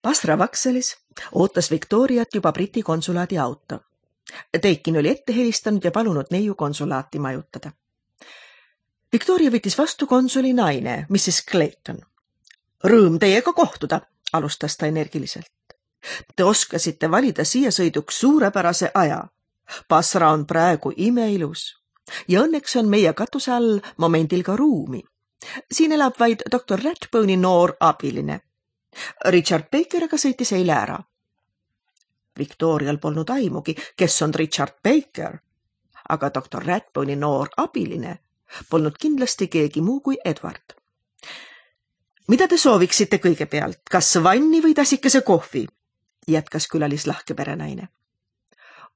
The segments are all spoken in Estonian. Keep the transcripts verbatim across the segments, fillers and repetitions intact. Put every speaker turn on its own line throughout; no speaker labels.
Basra Vakselis ootas Victoriat juba Briti konsulaadi auto. Teikin oli ette helistanud ja palunud neiu konsulaati majutada. Victoria võttis vastu konsuli naine, missis Clayton. Rõõm teiega kohtuda, alustas ta energiliselt. Te oskasite valida siia sõiduks suurepärase aja. Basra on praegu imeilus ja õnneks on meie katuse all momendil ka ruumi. Siin elab vaid doktor Ratbone'i noor abiline. Richard Bakeriga sõitis eile ära. Victorial polnud aimugi, kes on Richard Baker, aga doktor Ratbone'i noor abiline polnud kindlasti keegi muu kui Edward. Mida te sooviksite kõigepealt, kas vanni või tasikese kohvi? Jätkas külalis lahke perenaine.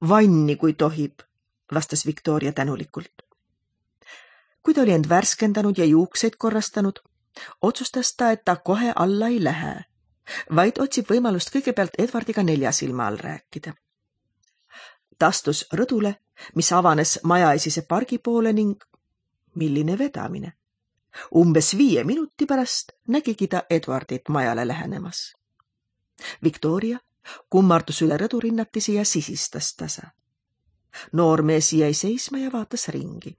Vanni, kui tohib, vastas Victoria tänulikult. Kui ta oli end värskendanud ja juukseid korrastanud, otsustas ta, et ta kohe alla ei lähe, vaid otsib võimalust kõigepealt Edwardiga nelja silma all rääkida. Ta astus rõdule, mis avanes majaesise pargi poole ning milline vedamine. Umbes viie minuti pärast nägigi ta Edwardit majale lähenemas. Victoria kummardus üle rõdurinnatisi ja sisistas tasa. Noormees jäi seisma ja vaatas ringi.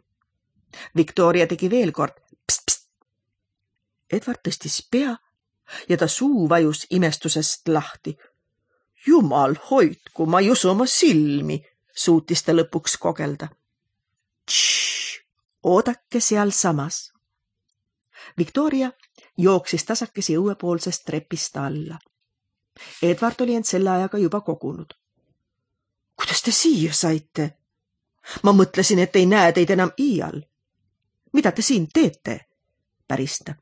Victoria tegi veel kord pst, pst. Edward tõstis pea ja ta suu vajus imestusest lahti. Jumal hoidku, ma ei usu oma silmi, suutis ta lõpuks kogelda. Tšš, oodake seal samas. Victoria jooksis tasakesi õuepoolsest trepist alla. Edward oli end selle ajaga juba kogunud. Kuidas te siia saite? Ma mõtlesin, et ei näe teid enam iial. Mida te siin teete? Pärista.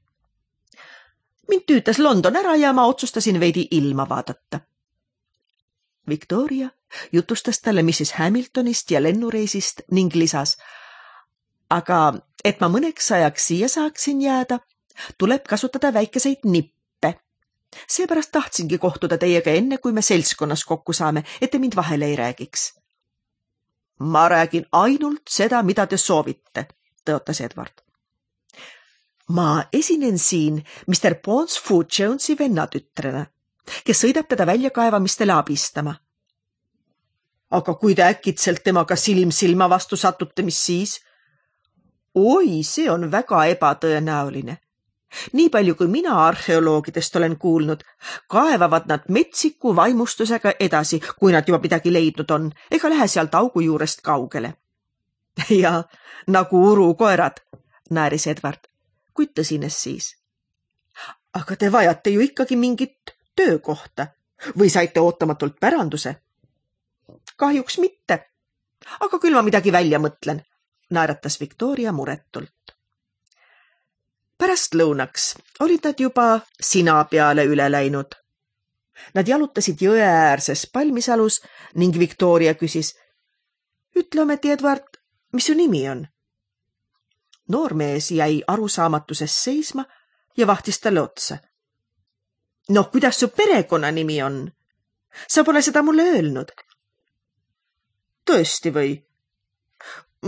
Mind tüütas London ära ja ma otsustasin veidi ilma vaadata. Victoria jutustas talle missis Hamiltonist ja lennureisist ning lisas, aga et ma mõneks ajaks siia saaksin jääda, tuleb kasutada väikeseid nippe. Seepärast tahtsingi kohtuda teiega enne, kui me seltskonnas kokku saame, et te mind vahele ei räägiks. Ma räägin ainult seda, mida te soovite, tõotas Edward. Ma esinen siin mister Ponsfood Jonesi vennatütrena, kes sõidab teda väljakaevamistele abistama. Aga kui te äkitselt temaga silm silma vastu satute, mis siis? Oi, see on väga ebatõenäoline. Nii palju, kui mina arheoloogidest olen kuulnud, kaevavad nad metsiku vaimustusega edasi, kui nad juba midagi leidnud on, ega lähe sealt augu juurest kaugele. Ja nagu urukoerad, nääris Edward, kuid tõsines siis. Aga te vajate ju ikkagi mingit töökohta või saite ootamatult päranduse? Kahjuks mitte, aga küll ma midagi välja mõtlen, naeratas Victoria muretult. Pärast lõunaks olid nad juba sina peale üle läinud. Nad jalutasid jõe äärses palmisalus ning Victoria küsis, ütle ometi, Edward, mis su nimi on? Noormees jäi arusaamatuses seisma ja vahtis talle otsa. No, kuidas su perekonna nimi on? Sa pole seda mulle öelnud. Tõesti või?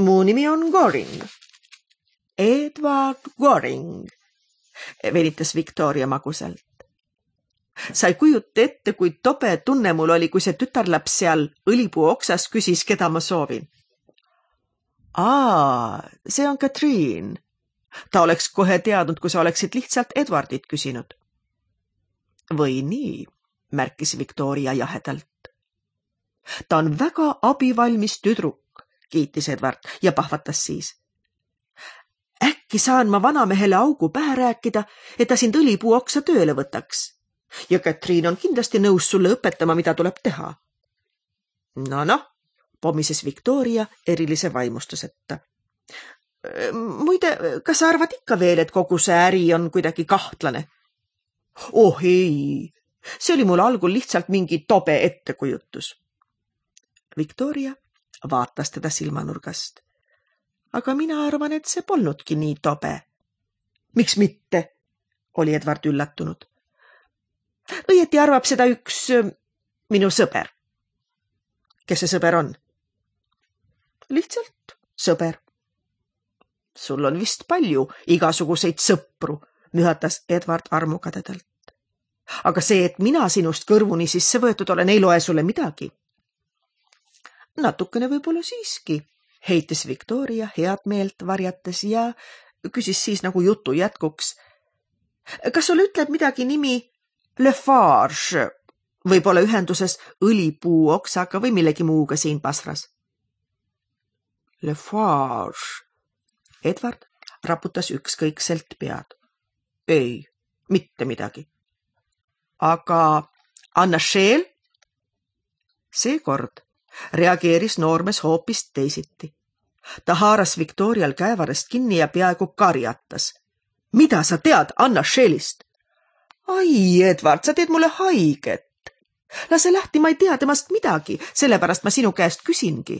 Mu nimi on Goring. Edward Goring, venitas Victoria magusalt. Sa ei kujuta ette, kui tobe tunne mul oli, kui see tütarlaps seal õlipuu oksas küsis, keda ma soovin. Aa, see on Katriin. Ta oleks kohe teadnud, kui sa oleksid lihtsalt Edwardit küsinud. Või nii, märkis Victoria jahedalt. Ta on väga abivalmis tüdruk, kiitis Edward ja pahvatas siis. Äkki saan ma vanamehele augu pähe rääkida, et ta sind õlipuu oksa tööle võtaks. Ja Katriin on kindlasti nõus sulle õpetama, mida tuleb teha. No, noh, pomises Victoria erilise vaimustuseta. Muide, kas sa arvad ikka veel, et kogu see äri on kuidagi kahtlane? Oh ei, see oli mul algul lihtsalt mingi tobe ettekujutus. Victoria vaatas teda silmanurgast. Aga mina arvan, et see polnudki nii tobe. Miks mitte? Oli Edward üllatunud. Õieti arvab seda üks minu sõber. Kes see sõber on? Lihtsalt sõber. Sul on vist palju igasuguseid sõpru, mühatas Edward armukadedalt. Aga see, et mina sinust kõrvuni sisse võetud olen, ei loe sulle midagi. Natukene võib-olla siiski, heitis Victoria head meelt varjates ja küsis siis nagu jutu jätkuks. Kas sulle ütleb midagi nimi Lafarge, võib-olla ühenduses õlipuu oksaga või millegi muuga siin Basras? Lafarge. Edward raputas ükskõikselt pead. Ei, mitte midagi. Aga Anna Scheel? Seekord reageeris noormes hoopis teisiti. Ta haaras Victorial käevarest kinni ja peaaegu karjatas. Mida sa tead Anna Scheelist? Ai, Edward, sa teed mulle haiget. Lase lahti, ma ei tea temast midagi, sellepärast ma sinu käest küsingi.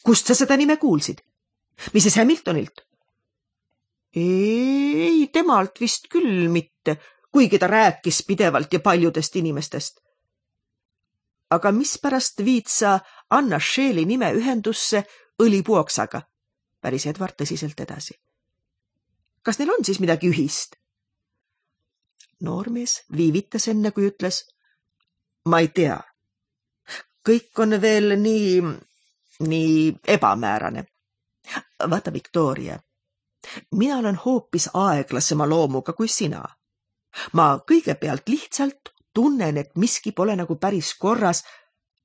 Kust sa seda nime kuulsid? Missis Hamiltonilt? Ei, temalt vist küll mitte, kuigi ta rääkis pidevalt ja paljudest inimestest. Aga mispärast viid sa Anna Scheeli nime ühendusse õlipuoksaga? Päris Edward tõsiselt edasi. Kas neil on siis midagi ühist? Noormees viivitas enne, kui ütles, ma ei tea. Kõik on veel nii, nii ebamäärane. Vaata, Victoria, mina olen hoopis aeglasema loomuga kui sina. Ma kõigepealt lihtsalt tunnen, et miski pole nagu päris korras,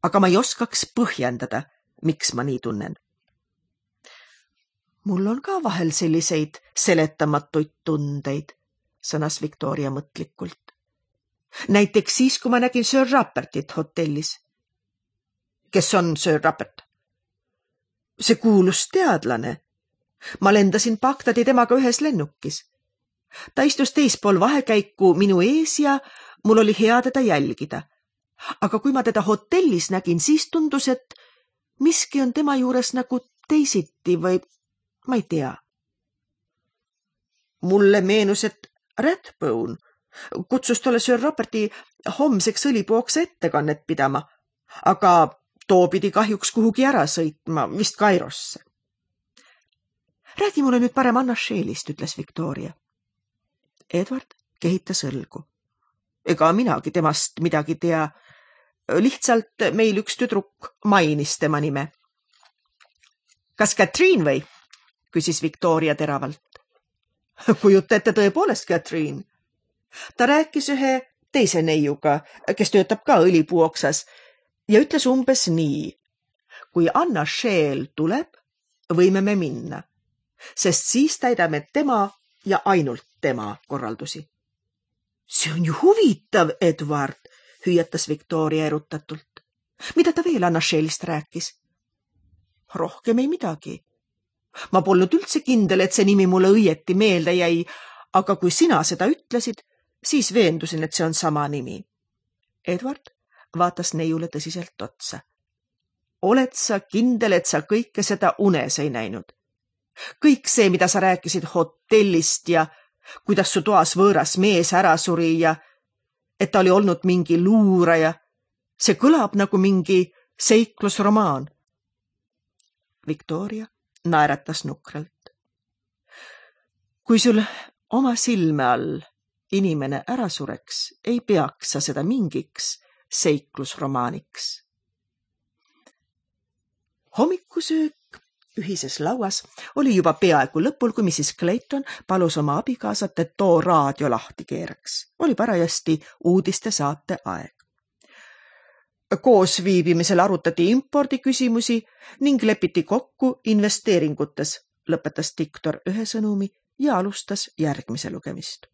aga ma ei oskaks põhjendada, miks ma nii tunnen. Mul on ka vahel selliseid seletamatuid tundeid, sõnas Victoria mõtlikult. Näiteks siis, kui ma nägin Sir Rupertit hotellis. Kes on Sir Rupert? See kuulus teadlane. Ma lendasin Bagdadi temaga ühes lennukis. Ta istus teispool vahekäiku minu ees ja mul oli hea teda jälgida. Aga kui ma teda hotellis nägin, siis tundus, et miski on tema juures nagu teisiti või ma ei tea. Mulle meenus, et Rathbone kutsus tolle Sir Ruperti homseks õlipuoksa ettekannet pidama, aga too pidi kahjuks kuhugi ära sõitma, vist Kairosse. Räägi mulle nüüd parem Anna Scheelist, ütles Victoria. Edward kehitas õlgu. Ega minagi temast midagi tea. Lihtsalt meil üks tüdruk mainis tema nime. Kas Catherine või? Küsis Victoria teravalt. Kujuta ette tõepoolest Catherine. Ta rääkis ühe teise neiuga, kes töötab ka õlipuu oksas ja ütles umbes nii. Kui Anna Scheel tuleb, võime me minna, sest siis täidame tema ja ainult tema korraldusi. See on ju huvitav, Edward, hüüatas Victoria erutatult. Mida ta veel Anna Scheelist rääkis? Rohkem ei midagi. Ma polnud üldse kindel, et see nimi mulle õieti meelde jäi, aga kui sina seda ütlesid, siis veendusin, et see on sama nimi. Edward vaatas neiule tõsiselt otsa. Oled sa kindel, et sa kõike seda unes ei näinud? Kõik see, mida sa rääkisid hotellist ja kuidas su toas võõras mees ära suri ja et ta oli olnud mingi luuraja, see kõlab nagu mingi seiklusromaan. Victoria naeratas nukralt. Kui sul oma silme all inimene ära sureks, ei peaks sa seda mingiks seiklusromaaniks. Hommikusöök ühises lauas oli juba peaaegu lõpul, kui missis Clayton palus oma abikaasat, et too raadio lahti keeraks. Oli parajasti uudiste saate aeg. Koos viibimisel arutati impordi küsimusi ning lepiti kokku investeeringutes, lõpetas diktor ühe sõnumi ja alustas järgmise lugemist.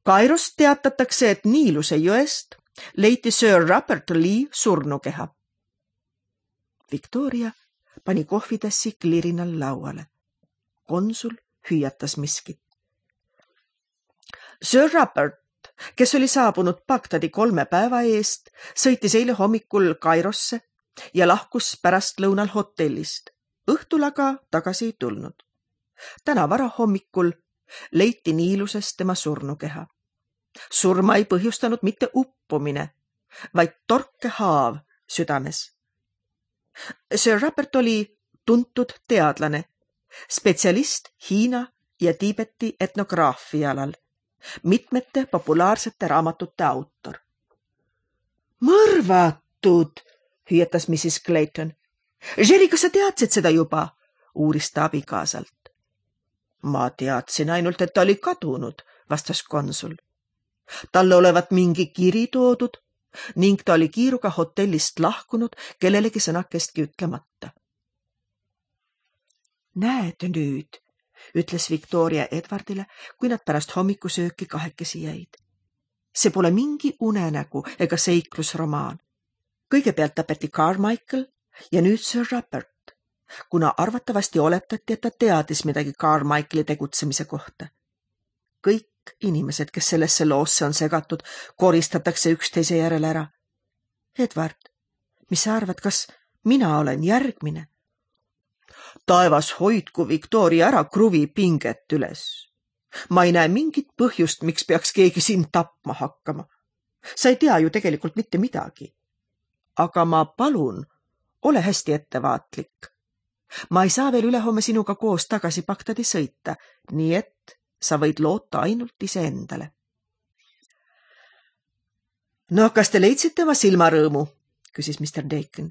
Kairost teatatakse, et Niiluse jõest leiti Sir Rupert Lee surnukeha. Victoria pani kohvitassi klirinal lauale. Konsul hüüatas miskit. Sir Rupert, kes oli saabunud Bagdadi kolme päeva eest, sõitis eile hommikul Kairosse ja lahkus pärast lõunal hotellist. Õhtul aga tagasi ei tulnud. Täna varahommikul leiti Niiluses tema surnukeha. Surma ei põhjustanud mitte uppumine, vaid torkehaav südames. Sir Rupert oli tuntud teadlane, spetsialist Hiina ja Tiibeti etnograafia alal mitmete populaarsete raamatute autor. Mõrvatud, hüüatas missis Clayton. Jerry, kas sa teadsid seda juba? Uuris ta abikaasalt. Ma teadsin ainult, et ta oli kadunud, vastas konsul. Talle olevat mingi kiri toodud ning ta oli kiiruga hotellist lahkunud kellelegi sõnakestki ütlemata. Näed nüüd, ütles Victoria Edwardile, kui nad pärast hommikusööki kahekesi jäid. See pole mingi unenägu ega seiklusromaan. Kõigepealt tapeti Carmichael ja nüüd Sir Rupert, kuna arvatavasti oletati, et ta teadis midagi Carmichaeli tegutsemise kohta. Kõik inimesed, kes sellesse loosse on segatud, koristatakse üksteise järel ära. Edward, mis sa arvad, kas mina olen järgmine? Taevas hoidku Victoria ära kruvi pinget üles. Ma ei näe mingit põhjust, miks peaks keegi sind tapma hakkama. Sa ei tea ju tegelikult mitte midagi. Aga ma palun, ole hästi ettevaatlik. Ma ei saa veel ülehomme sinuga koos tagasi Bagdadi sõita, nii et sa võid loota ainult iseendale. No, kas te leidsite oma silmarõõmu? Küsis mister Deacon.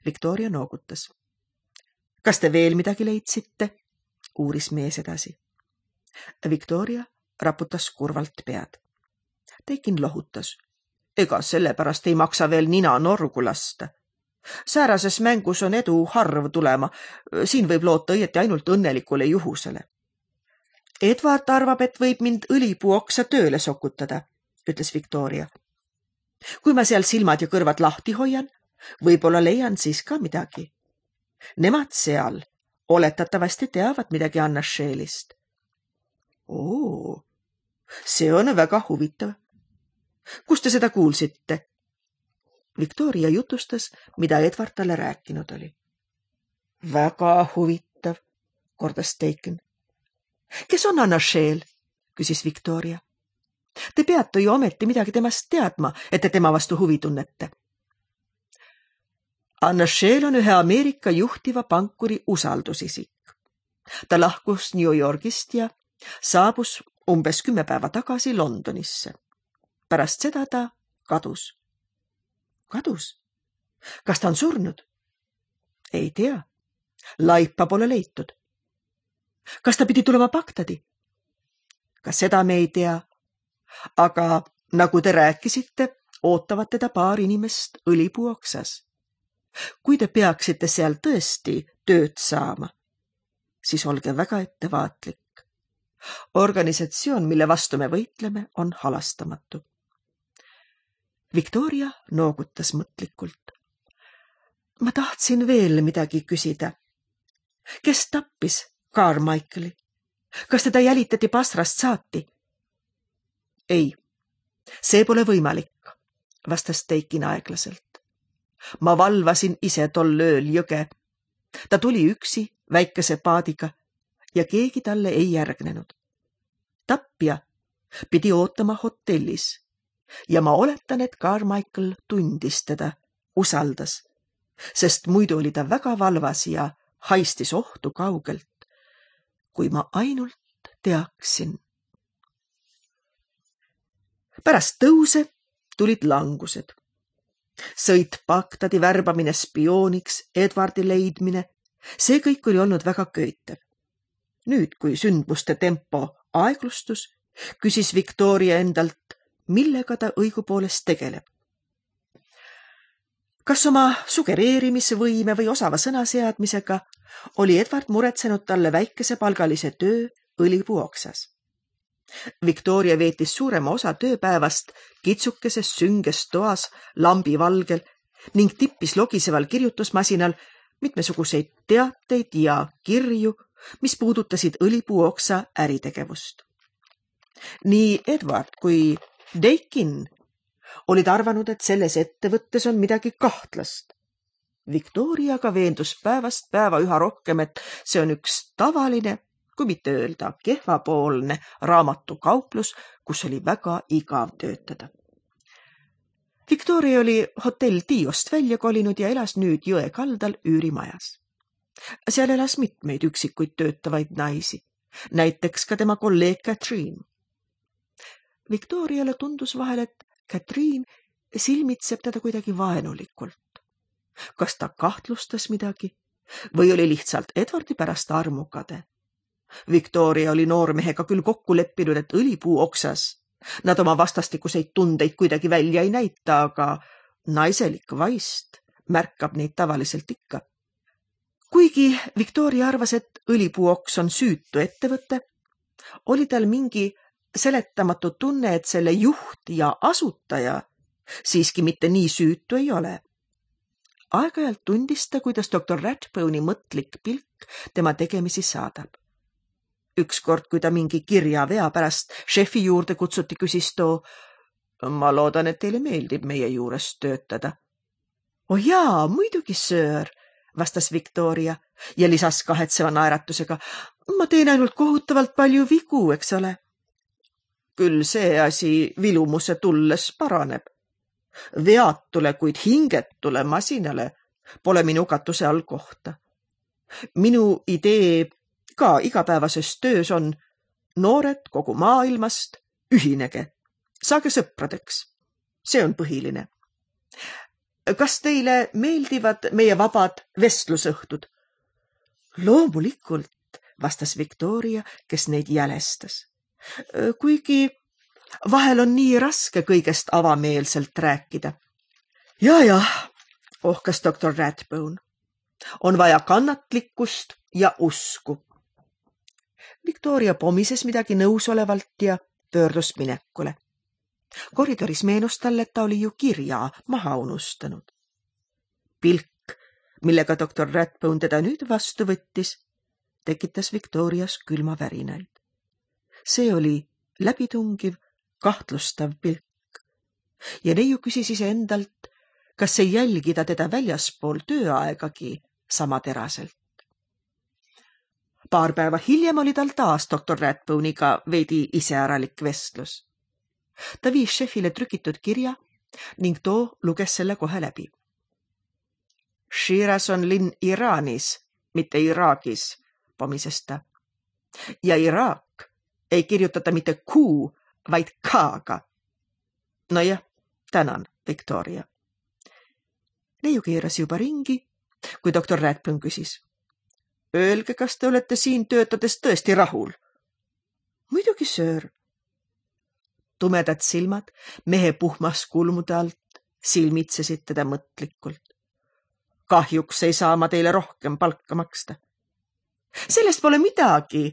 Victoria noogutas. Kas te veel midagi leidsite? Uuris mees edasi. Victoria raputas kurvalt pead. Deacon lohutas. Ega sellepärast ei maksa veel nina norgu lasta. Säärases mängus on edu harv tulema. Siin võib loota õieti ainult õnnelikule juhusele. Edward arvab, et võib mind õlipuoksa tööle sokutada, ütles Victoria. Kui ma seal silmad ja kõrvad lahti hoian, võib-olla leian siis ka midagi. Nemad seal oletatavasti teavad midagi Anna Sheelist. Oo, see on väga huvitav. Kust te seda kuulsite? Victoria jutustas, mida Edward talle rääkinud oli. Väga huvitav, kordas Deacon. Kes on Anna Sheel? Küsis Victoria. Te peate ju ometi midagi temast teadma, et te tema vastu huvi tunnete. Anna Sheel on ühe Ameerika juhtiva pankuri usaldusisik. Ta lahkus New Yorgist ja saabus umbes kümme päeva tagasi Londonisse. Pärast seda ta kadus. Kadus? Kas ta on surnud? Ei tea. Laipa pole leitud. Kas ta pidi tulema Bagdadi? Ka seda me ei tea. Aga nagu te rääkisite, ootavad teda paar inimest õlipuoksas. Kui te peaksite seal tõesti tööd saama, siis olge väga ettevaatlik. Organisatsioon, mille vastu me võitleme, on halastamatu. Victoria noogutas mõtlikult. Ma tahtsin veel midagi küsida. Kes tappis Carmichaeli? Kas teda jälitati Basrast saati? Ei, see pole võimalik, vastas Deacon aeglaselt. Ma valvasin ise tol ööl jõge. Ta tuli üksi väikese paadiga ja keegi talle ei järgnenud. Tappja pidi ootama hotellis ja ma oletan, et Carmichael tundis teda, usaldas, sest muidu oli ta väga valvas ja haistis ohtu kaugelt, kui ma ainult teaksin. Pärast tõuse tulid langused. Sõit Bagdadi värbamine spiooniks, Edwardi leidmine, see kõik oli olnud väga köitev. Nüüd, kui sündmuste tempo aeglustus, küsis Victoria endalt, millega ta õigupoolest tegeleb. Kas oma sugereerimisvõime või osava sõnaseadmisega oli Edward muretsenud talle väikesepalgalise töö õlipuoksas. Victoria veetis suurema osa tööpäevast kitsukeses sünges toas lambi valgel ning tippis logiseval kirjutusmasinal mitmesuguseid teateid ja kirju, mis puudutasid õlipuoksa äritegevust. Nii Edward kui Deacon olid arvanud, et selles ettevõttes on midagi kahtlast. Victoria aga veendus päevast päeva üha rohkem, et see on üks tavaline, kui mitte öelda kehvapoolne raamatukauplus, kus oli väga igav töötada. Victoria oli hotell Tiost välja kolinud ja elas nüüd jõe kaldal üürimajas. Seal elas mitmeid üksikuid töötavaid naisi, näiteks ka tema kolleeg Catherine. Victoriale tundus vahel, et Katriin silmitseb teda kuidagi vaenulikult. Kas ta kahtlustas midagi või oli lihtsalt Edwardi pärast armukade? Victoria oli noormehega küll kokku leppinud, et õlipuu oksas nad oma vastastikuseid tundeid kuidagi välja ei näita, aga naiselik vaist märkab neid tavaliselt ikka. Kuigi Victoria arvas, et õlipuu oks on süütu ettevõte, oli tal mingi seletamatu tunne, et selle juht ja asutaja siiski mitte nii süütu ei ole. Aeg-ajalt tundis ta, kuidas doktor Rathbone'i mõtlik pilk tema tegemisi saadab. Ükskord, kui ta mingi kirja vea pärast šefi juurde kutsuti, küsis too, ma loodan, et teile meeldib meie juures töötada. Oh jaa, muidugi, söör, vastas Victoria ja lisas kahetseva naeratusega. Ma teen ainult kohutavalt palju vigu, eks ole. Küll see asi vilumuse tulles paraneb. Veatule, kuid hingetule masinale pole minu katuse all kohta. Minu idee ka igapäevases töös on noored kogu maailmast, ühinege, saage sõpradeks. See on põhiline. Kas teile meeldivad meie vabad vestlusõhtud? Loomulikult, vastas Victoria, kes neid jälestas. Kuigi vahel on nii raske kõigest avameelselt rääkida. Ja, jah, ohkas doktor Rathbone. On vaja kannatlikkust ja usku. Victoria pomises midagi nõusolevalt ja pöördus minekule. Koridoris meenus talle, et ta oli ju kirja maha unustanud. Pilk, millega doktor Rathbone teda nüüd vastu võttis, tekitas Victorias külma värinaid. See oli läbitungiv, kahtlustav pilk. Ja neiu küsis ise endalt, kas ei jälgida teda väljaspool tööaegagi sama teraselt. Paar päeva hiljem oli tal taas doktor Rathbone'iga veidi iseäralik vestlus. Ta viis šefile trükitud kirja ning too luges selle kohe läbi. Shiraz on linn Iraanis, mitte Iraagis, pomises ta. Ja Iraak ei kirjutata mitte Q, vaid K-ga. No jah, tänan, Victoria. Neiu keeras juba ringi, kui doktor Rathbone küsis. Öelge, kas te olete siin töötades tõesti rahul? Muidugi, söör. Tumedad silmad mehe puhmas kulmude alt silmitsesid teda mõtlikult. Kahjuks ei saa ma teile rohkem palka maksta. Sellest pole midagi.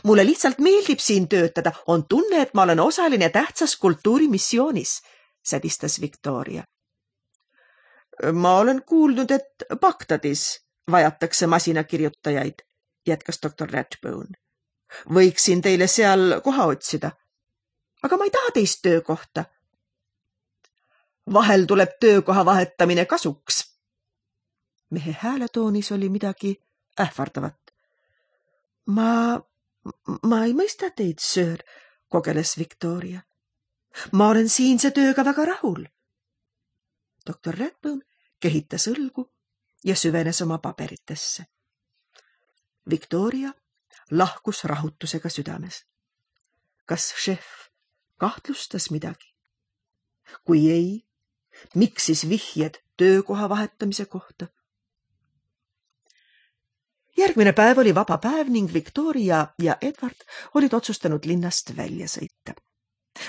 Mulle lihtsalt meeldib siin töötada. On tunne, et ma olen osaline tähtsas kultuurimissioonis, sädistas Victoria. Ma olen kuulnud, et Bagdadis vajatakse masinakirjutajaid, jätkas doktor Rathbone. Võiksin teile seal koha otsida. Aga ma ei taha teist töökohta. Vahel tuleb töökoha vahetamine kasuks. Mehe hääletoonis oli midagi ähvardavat. Ma, ma ei mõista teid, söör, kogeles Victoria. Ma olen siinse tööga väga rahul. doktor Rathbone kehitas õlgu ja süvenes oma paberitesse. Victoria lahkus rahutusega südames. Kas šef kahtlustas midagi? Kui ei, miks siis vihjed töökoha vahetamise kohta? Järgmine päev oli vaba päev ning Victoria ja Edward olid otsustanud linnast välja sõita.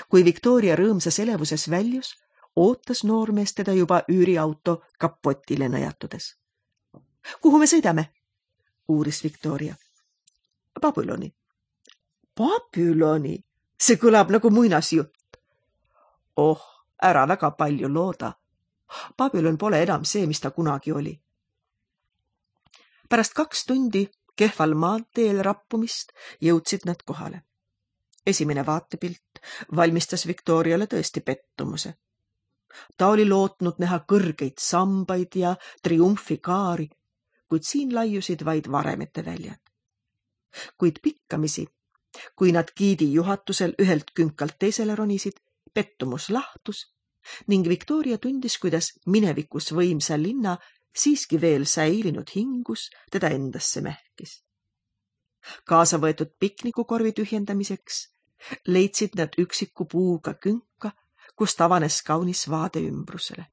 Kui Victoria rõõmsas elevuses väljus, ootas noormees teda juba üüriauto kapotile nõjatudes. Kuhu me sõidame? Uuris Victoria. Babyloni. Babyloni? See kõlab nagu muinasjutt. Oh, ära väga palju looda. Babylon pole enam see, mis ta kunagi oli. Pärast kaks tundi kehval maanteel rappumist jõudsid nad kohale. Esimene vaatepilt valmistas Victoriale tõesti pettumuse. Ta oli lootnud näha kõrgeid sambaid ja triumfikaari, kuid siin laiusid vaid varemete väljad. Kuid pikkamisi, kui nad giidi juhatusel ühelt künkalt teisele ronisid, pettumus lahtus ning Victoria tundis, kuidas minevikus võimsa linna siiski veel säilinud hingus teda endasse mähkis. Kaasa võetud piknikukorvi tühjendamiseks leidsid nad üksiku puuga künka, kust avanes kaunis vaade ümbrusele.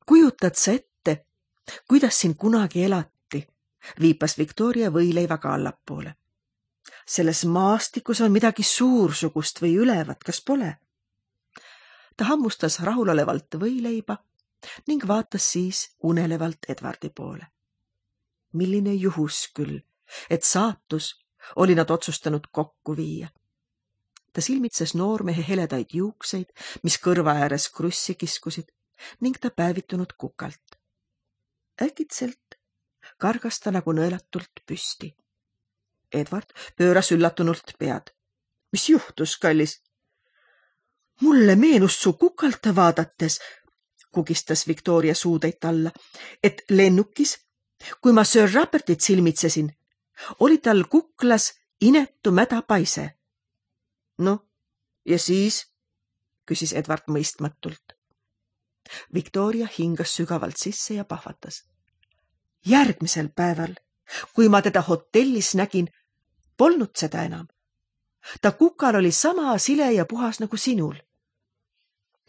Kujutad sa ette, kuidas siin kunagi elati, viipas Victoria võileivaga allapoole. Selles maastikus on midagi suursugust või ülevat, kas pole? Ta hammustas rahulolevalt võileiba ning vaatas siis unelevalt Edwardi poole. Milline juhus küll, et saatus oli nad otsustanud kokku viia. Ta silmitses noormehe heledaid juukseid, mis kõrva ääres krussi kiskusid ning ta päevitunud kukalt. Äkitselt kargas ta nagu nõelatult püsti. Edward pööras üllatunult pead. Mis juhtus, kallis? Mulle meenus su kukalt vaadates, kugistas Victoria suudeid alla, et lennukis, kui ma Sir Rupertit silmitsesin, oli tal kuklas inetu mädapaise. No, ja siis, küsis Edward mõistmatult. Victoria hingas sügavalt sisse ja pahvatas. Järgmisel päeval, kui ma teda hotellis nägin, polnud seda enam. Ta kukal oli sama sile ja puhas nagu sinul.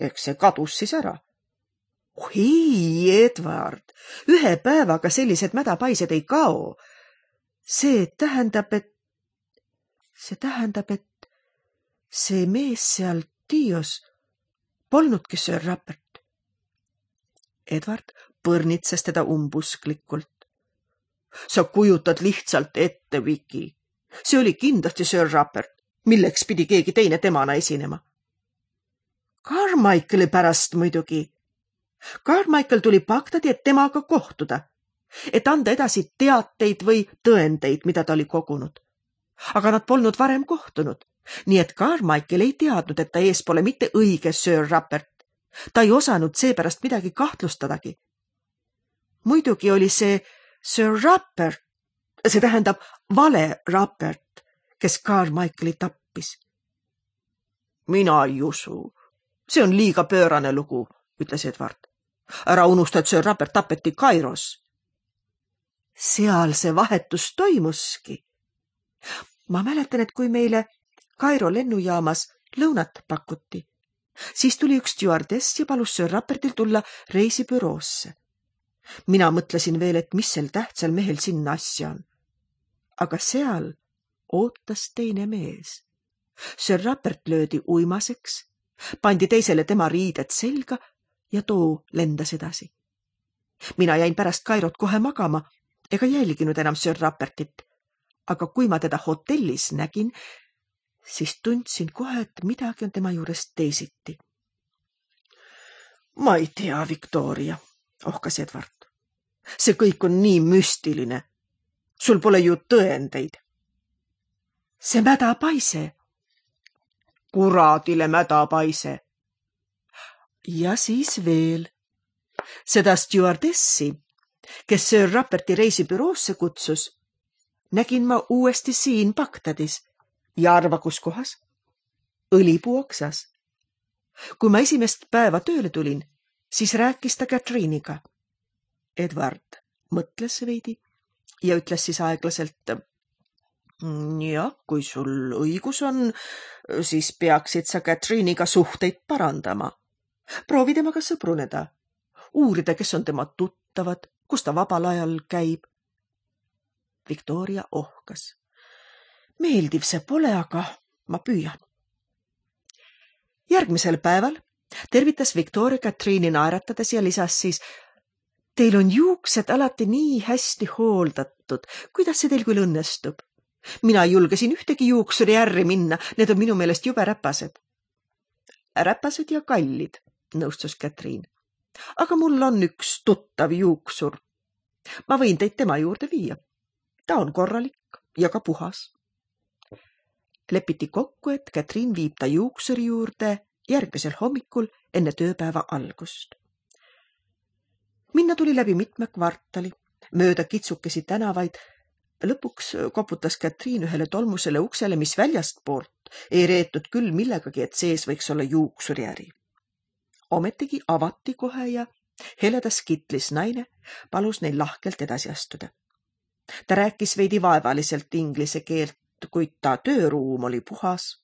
Eks see kadus siis ära. Oh, ei, Edward, ühe päevaga sellised mädapaised ei kao. See tähendab, et... See tähendab, et see mees seal Tios polnudki Sir Rupert. Edward põrnitses teda umbusklikult. Sa kujutad lihtsalt ette, Viki. See oli kindlasti Sir Rupert, milleks pidi keegi teine temana esinema. Carmichaeli pärast muidugi. Carmichael tuli Bagdadi, et temaga kohtuda, et anda edasi teateid või tõendeid, mida ta oli kogunud. Aga nad polnud varem kohtunud, nii et Carmichael ei teadnud, et ta ees pole mitte õige Sir Rupert. Ta ei osanud seepärast midagi kahtlustadagi. Muidugi oli see Sir Rupert, see tähendab vale Rupert, kes Carmichaeli tappis. Mina ei usu. See on liiga pöörane lugu, ütles Edward. Ära unusta, et Sir Rupert tapeti Kairos. Seal see vahetus toimuski. Ma mäletan, et kui meile Kairo lennujaamas lõunat pakuti, siis tuli üks stjuardess ja palus Sir Rupertil tulla reisibüroosse. Mina mõtlesin veel, et mis sel tähtsal mehel sinna asja on. Aga seal ootas teine mees. Sir Rupert löödi uimaseks, pandi teisele tema riided selga ja too lendas edasi. Mina jäin pärast Kairot kohe magama ega jälginud enam Sir Rupertit, aga kui ma teda hotellis nägin, siis tundsin kohe, et midagi on tema juures teisiti. Ma ei tea, Victoria, ohkas Edward. See kõik on nii müstiline. Sul pole ju tõendeid. See mädapaise. Kuradile mädapaise. Ja siis veel. Seda stjuardessi, kes Sir Ruperti reisibüroosse kutsus, nägin ma uuesti siin Bagdadis. Ja arva, kus kohas? Õlipuu oksas. Kui ma esimest päeva tööle tulin, siis rääkis ta Catherine'iga. Edward mõtles veidi ja ütles siis aeglaselt, jah, kui sul õigus on, siis peaksid sa Catherine'iga suhteid parandama. Proovi temaga sõbruneda. Uurida, kes on tema tuttavad, kus ta vabal ajal käib. Victoria ohkas. Meeldiv see pole, aga ma püüan. Järgmisel päeval tervitas Victoria Catherine'i naeratades ja lisas siis, teil on juuksed alati nii hästi hooldatud, kuidas see teil küll õnnestub? Mina julgesin ühtegi juuksuri ärri minna, need on minu meelest jube räpased. Räpased ja kallid, nõustus Catherine. Aga mul on üks tuttav juuksur. Ma võin teid tema juurde viia. Ta on korralik ja ka puhas. Lepiti kokku, et Catherine viib ta juuksuri juurde järgmisel hommikul enne tööpäeva algust. Minna tuli läbi mitme kvartali, mööda kitsukesi tänavaid. Lõpuks koputas Catherine ühele tolmusele uksele, mis väljastpoolt ei reetud küll millegagi, et sees võiks olla juuksuriäri. Ometigi avati kohe ja heledas kitlis naine palus neil lahkelt edasi astuda. Ta rääkis veidi vaevaliselt inglise keelt, kuid ta tööruum oli puhas,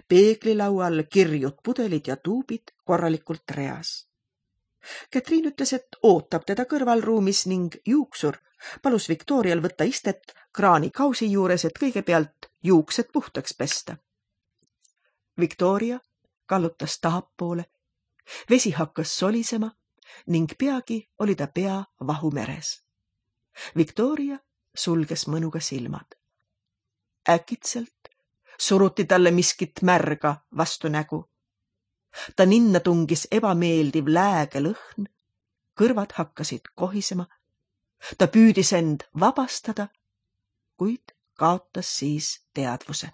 Peeglilaual kirjud pudelid ja tuubid korralikult reas. Katriin ütles, et ootab teda kõrvalruumis ning juuksur palus Victorial võtta istet kraani kausi juures, et kõigepealt juuksed puhtaks pesta. Victoria kallutas tahapoole, vesi hakkas solisema ning peagi oli ta pea vahumeres. Victoria sulges mõnuga silmad. Äkitselt suruti talle miskit märga vastu nägu. Ta ninna tungis ebameeldiv lääge lõhn, kõrvad hakkasid kohisema. Ta püüdis end vabastada, kuid kaotas siis teadvuse.